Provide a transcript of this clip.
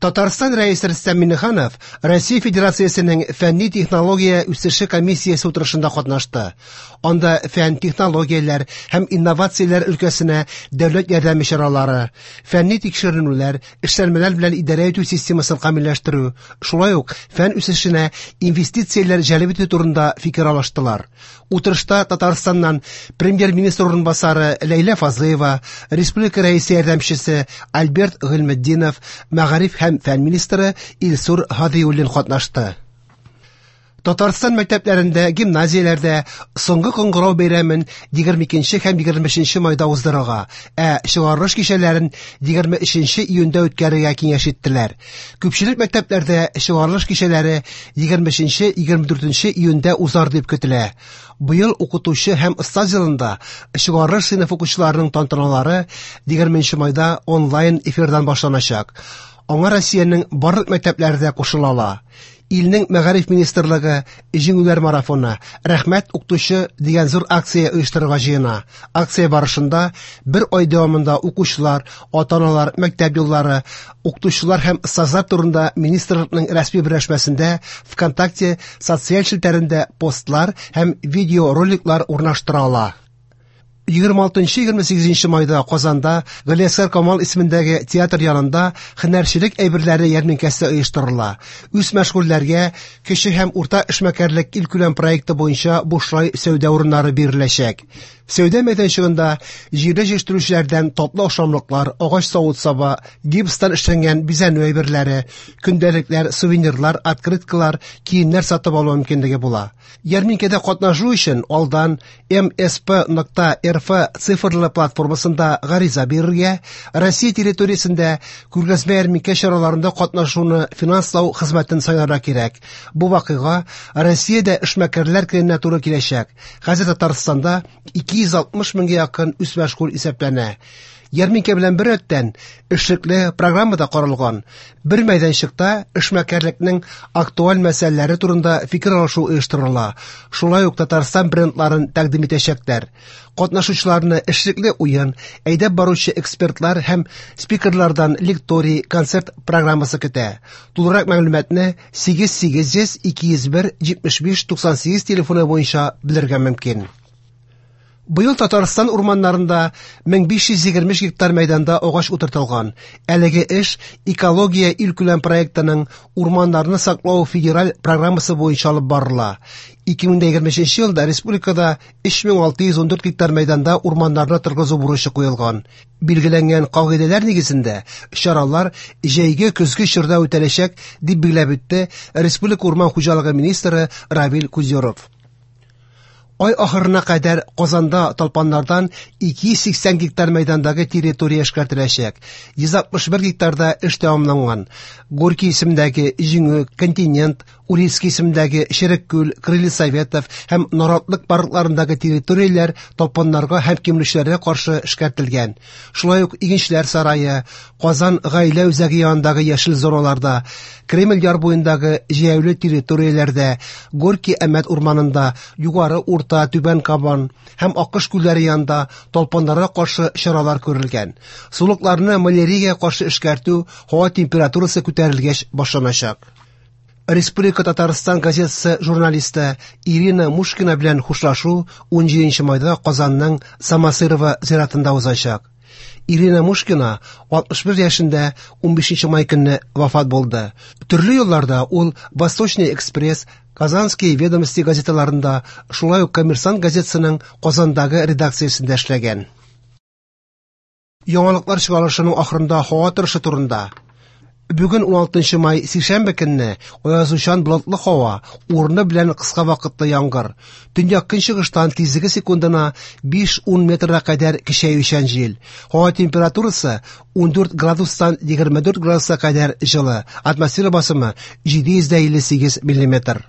Татарстан Рәисе Рөстәм Миңнеханов Россия Федерациясенең фәнни-технология үсеше комиссиясе утырышында катнашты. Анда фән, технологияләр һәм инновацияләр өлкәсенә дәүләт ярдәме чаралары, фәнни тикшеренүләр, эшләнмәләр белән идарә итү системасын камилләштерү, шулай ук фән үсешенә инвестицияләр җәлеп итү турында фикер алыштылар. Утырышта Татарстаннан премьер-министр урынбасары Ләйлә Фазлыева, республика рәисе ярдәмчесе Альберт Гыйльметдинов, мәгариф һәм фән министры Илсур Һадиуллин катнашты. Татарстан мәктәпләрендә, гимназияләрдә соңгы кыңгырау бәйрәмен 22 һәм 23 майда уздырырга, ә чыгарылыш кичәләрен 23 июньдә үткәрергә киңәш иттеләр. Күпчелек мәктәпләрдә чыгарылыш кичәләре 23-24 июньдә узар дип көтелә. Быел укытучы һәм остаз елында чыгарылыш сыйныф укучыларының тантаналары 20 майда онлайн эфирдан башланачак. Аңа Россиянең барлык мәктәпләре дә кушыла ала. Илнең мәгариф министрлыгы Җиңүләр марафоны, Рәхмәт укытучы дигән зур акция оештырырга җыена. Акция барышында бер ай дәвамында укучылар, ата-аналар, мәктәп юллары, укытучылар һәм остазлар турында министрлыкның рәсми берләшмәсендә ВКонтакте социаль челтәрендә постлар һәм видеороликлар урнаштыра ала. 26-28 майда Казанда Галиәсгар Камал исемендәге театр янында һөнәрчелек әйберләре ярминкәсе оештырыла. Үз мәшгульләргә кече һәм урта эшмәкәрлек илкүләм проекты буенча бушлай сәүдә урыннары биреләчәк. Сәүдә мәйданчыгында җирле җитештерүчеләрдән татлы ашамлыклар, агач савыт-саба, гипстан эшләнгән бизәнү әйберләре, көндәлекләр, сувенирлар, открыткалар, киемнәр сатып алу мөмкинлеге була. Ярминкәдә катнашу өчен алдан msp.rf цифрлы платформасында гариза бирергә, Россия территориясендә күргәзмә ярминкә чараларында катнашуны финанслау хезмәтен сайларга кирәк. Бу вакыйга Россиядә эшмәкәрләр көненә туры киләчәк. Хәзер Татарстанда 260 меңгә якын үзмәшгуль исәпләнә. Ярминкә белән беррәттән эшлекле программа да каралган. Бер мәйданчыкта эшмәкәрлекнең актуаль мәсьәләләре турында фикер алышу оештырыла. Шулай ук Татарстан брендларын тәкъдим итәчәкләр. Катнашучыларны эшлекле уен, әйдәп баручы экспертлар һәм спикерлардан лекторий, концерт программасы көтә. Тулырак мәгълүматны 8800 201 75 98 телефоны буенча белергә мөмкин. Быел Татарстан урманнарында 1523 гектар мәйданда агач утыртылган. Әлеге эш Экология илкүләм проектының Урманнарны саклау федераль программасы буенча алып барыла. 2023 елда республикада 3614 гектар мәйданда урманнарны торгызу бурычы куелган. Билгеләнгән кагыйдәләр нигезендә чаралар җәйге-көзге чорда үтәләчәк, дип билгеләп үтте республика урман хуҗалыгы министры Равил Кузюров. Ай ахырына кадәр Казанда талпаннардан 280 гектар мәйдандагы территория эшкәртеләчәк. 161 гектарда эш тәмамланган. Горький исемендәге Җиңү, Континент, Урицкий исемендәге Черек-Күл, Крылья Советов һәм Наратлык паркларындагы территорияләр талпаннарга һәм кимерүчеләргә каршы эшкәртелгән. Шулай ук Игенчеләр сарае, Казан гаилә үзәге янындагы яшел зоналарда, Кремль яр буендагы җәяүле территорияләрдә, Горький Әмәт урманында, Югары Урта, Түбән Кабан һәм Акыш күлләре янында талпаннарга каршы чаралар күрелгән. Сулыкларны маляриягә каршы эшкәртү һава температурасы күтәрелгәч башланачак. Республика Татарстан газетасы журналисты Ирина Мушкина белән хушлашу 17 майда Казанның Самосырова зиратында узачак. Ирина Мушкина 61 яшендә 15 май көнне вафат булды. Төрле елларда ул Восточный экспресс, Казанские ведомости газеталарында, шулай ук Коммерсант газетасының Казандагы редакциясендә эшләгән. Яңалыклар чыгарылышының ахырында һава торышы турында. Бүген 16 май сишәмбе көнне аязучан болытлы һава, урыны белән кыска вакытлы яңгыр. Төньяк көнчыгыштан тизлеге секундына 5-10 метрга кадәр көчәючән җил. Һава температурасы 14 градустан 24 градуска кадәр җылы. Атмосфера басымы 758 миллиметр.